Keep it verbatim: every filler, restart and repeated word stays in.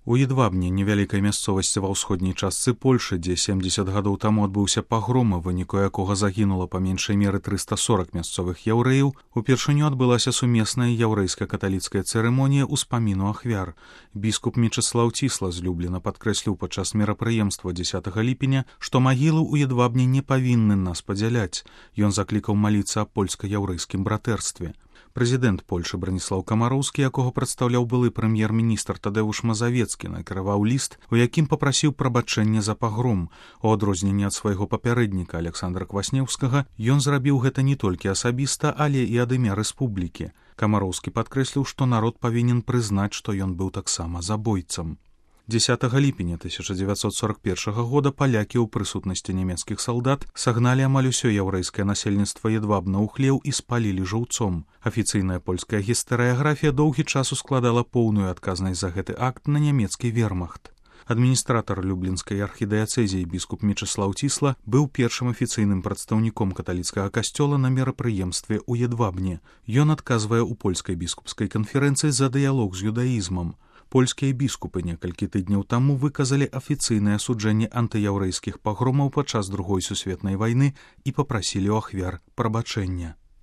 У Едвабне, невялікай мясцовасці ва ўсходняй частцы Польшы, дзе сямдзесят гадоў таму адбыўся пагром, у выніку якога загінула па меншай меры трыста сорак мясцовых яўрэяў, упершыню адбылася сумесная яўрэйска-каталіцкая цырымонія ўспаміну ахвяр. Біскуп Мечыслаў Цісла з Любліна падкрэсліў падчас мерапрыемства дзесятага ліпеня, што магілы ў Едвабне не павінны нас падзяляць. Ён заклікаў маліцца аб польска-яўрэйскім братэрстве. Прэзідэнт Польшы Браніслаў Камароўскі, якога прадстаўляў былы прэм'ер-міністр Тадэўш Мазавецкі, накіраваў ліст, у якім папрасіў прабачэння за пагром. У адрозненне ад свайго папярэдніка Александра Кваснеўскага, ён зрабіў гэта не толькі асабіста, але і ад імя рэспублікі. Камароўскі падкрэсліў, што народ павінен прызнаць, што ён быў таксама забойцам. дзесятага ліпеня тысяча дзевяцьсот сорак першага года палякі ў прысутнасці нямецкіх салдат сагналі амаль усё яўрэйскае насельніцтва Едвабна ў хлеў і спалілі жыўцом. Афіцыйная польская гістарыяграфія доўгі час ускладала поўную адказнасць за гэты акт на нямецкі вермахт. Адміністратар люблінскай архідыяцэзіі біскуп Мечыслаў Цісла быў першым афіцыйным прадстаўніком каталіцкага касцёла на мерапрыемстве ў Едвабне. Ён адказвае ў польскай біскупскай канферэнцыі за дыялог з юдаізмам. Польскія біскупы некалькі тыдняў таму выказалі афіцыйнае асуджэнне антыяўрэйскіх пагромаў падчас другой сусветнай вайны і папрасілі ў ахвяр прабачэння.